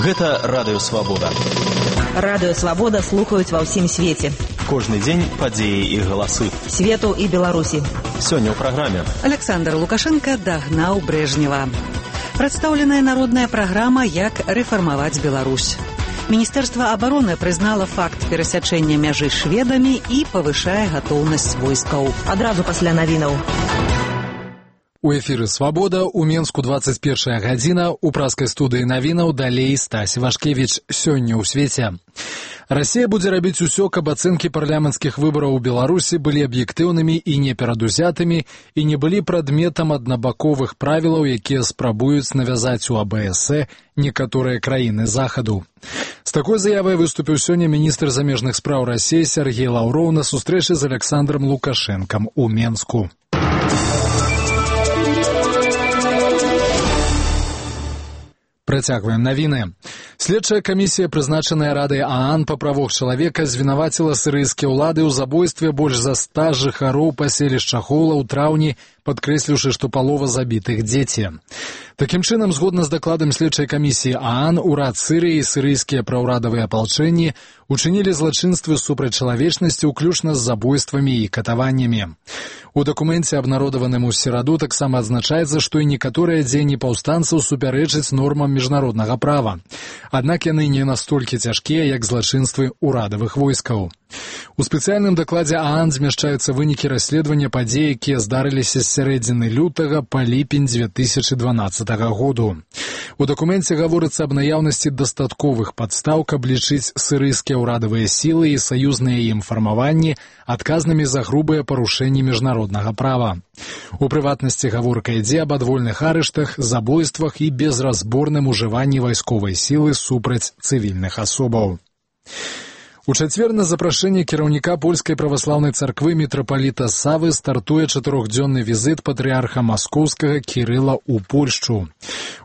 Гэта Радыё Свабода. Радыё Свабода слухаюць ва ўсім свеце. Кожны дзень падзеі і галасы. Свету і Беларусі. Сёння ў праграме. Александр Лукашенко дагнаў Брежнева. Прадстаўленая народная праграма «Як рэфармаваць Беларусь». Міністэрства абароны прызнала факт перасячэння мяжы шведамі і павышае гатоўнасць войскаў. Адразу пасля навінаў. У эфіры «Свабода», у Менску 21 гадзіна, у праскай студыі навінаў далей Стась Вашкевіч. Сёння ў свеце. Расія будзе рабіць усё, каб ацэнкі парламенцкіх выбараў у Беларусі былі аб'ектыўнымі і неперадузятымі і не былі прадметам аднабаковых правілаў, якія спрабуюць навязаць у АБС некаторыя краіны захаду. З такой заявай выступіў сёння міністр замежных спраў Расіі Сергей Лаўроў на сустрэчы з Александром Лукашэнкам у Менску. Працягваем навіны. Следчая камісія, прызначаная Радай ААН па правах чалавека, звінаваціла сірыйскія ўлады ў забойстве больш за 100 жыхароў паселішча Хола ў траўні, падкрэсліўшы, што палова забітых дзеці. Такім чынам, згодна з дакладам следчай камісіі ААН, урад Сірыі і сірыйскія праўрадавыя апалчэнні учынілі злачынствы супраць чалавечнасці, уключна з забойствамі і катаваннямі. У дакуменце, абнародаваным у сераду, таксама адзначаецца, што і некаторыя дзеянні паўстанцаў супярэчаць нормам міжнароднага права. Аднак яны не настолькі цяжкія, як злачынствы ўрадавых войскаў. У спецыяльным дакладзе ААН змяшчаюцца вынікі расследавання падзей, якія здарыліся з сярэдзіны лютага па ліпень 2012 году. У дакуменце гаворыцца аб наяўнасці дастатковых падстаў, каб лічыць сірыйскія ўрадавыя сілы і саюзныя ім фармаванні адказнымі за грубыя парушэнні міжнароднага права. У прыватнасці гаворка ідзе аб адвольных арыштах, забойствах і безразборным ужыванні вайсковай сілы супраць цывільных асобаў. У чацвер на запрашэнне кіраўніка польскай праваслаўнай царквы мітрапаліта Савы стартуе 4-дзённы візіт патрыарха маскоўскага Кірыла ў Польшчу.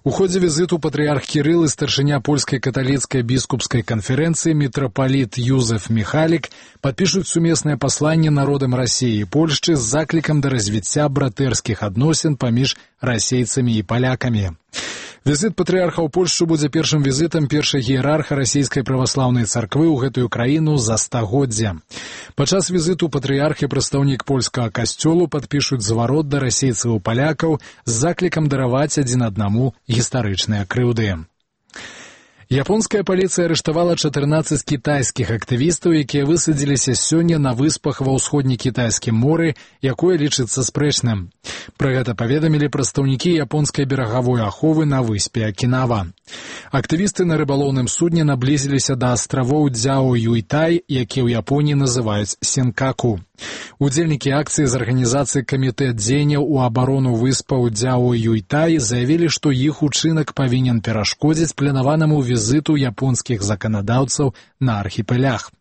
У ходзе візіту патрыарх Кірыл і старшыня польскай каталіцкай біскупскай канферэнцыі мітрапаліт Юзеф Міхалік падпішуць сумеснае пасланне народам Расіі і Польшчы з заклікам да развіцця братэрскіх адносін паміж расейцамі і палякамі. Візіт патрыарха ў Польшчу будзе першым візітам першай іерарха расійскай праваслаўнай царквы ў гэтую краіну за стагоддзя. Падчас візіту патрыарх і прадстаўнік польскага касцёлу падпішуць зварот да расейцаў і палякаў з заклікам дараваць адзін аднаму гістарычныя крыўды. Японская паліцыя арыштавала 14 кітайскіх актывістаў, якія высадзіліся сёння на выспах ва ўсходнекітайскім моры, якое лічыцца спрэчным. Пра гэта паведамілі прадстаўнікі японскай берагавой аховы на выспе Акінава. Актывісты на рыбалоўным судне наблізіліся да астравоў Дзяо-Юйтай, якія ў Японіі называюць Сенкаку. Удзельнікі акцыі з арганізацыі камітэт дзеянняў у абарону выспаў Дзяо-Юйтай заявілі, што іх учынак павінен перашкодзіць планаванаму візіту японскіх заканадаўцаў на архіпелях.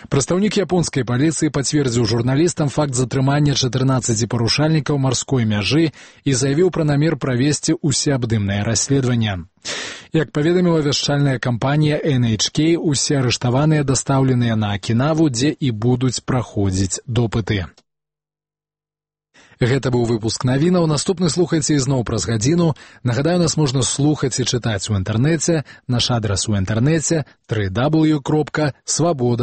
Прадстаўнік японскай паліцыі пацвердзіў журналістам факт затрымання 14 парушальнікаў марской мяжы і заявіў пра намер правесці усеабдымнае расследаванне. Як паведаміла вяшчальная кампанія NHK, усе арыштаваныя дастаўленыя на Акінаву, дзе і будуць праходзіць допыты. Гэта быў выпуск навінаў. Наступны слухайце ізноў праз гадзіну. Нагадаю, нас можна слухаць і чытаць у інтэрнэце. Наш адрас у інтэрнэце www.swaboda.org.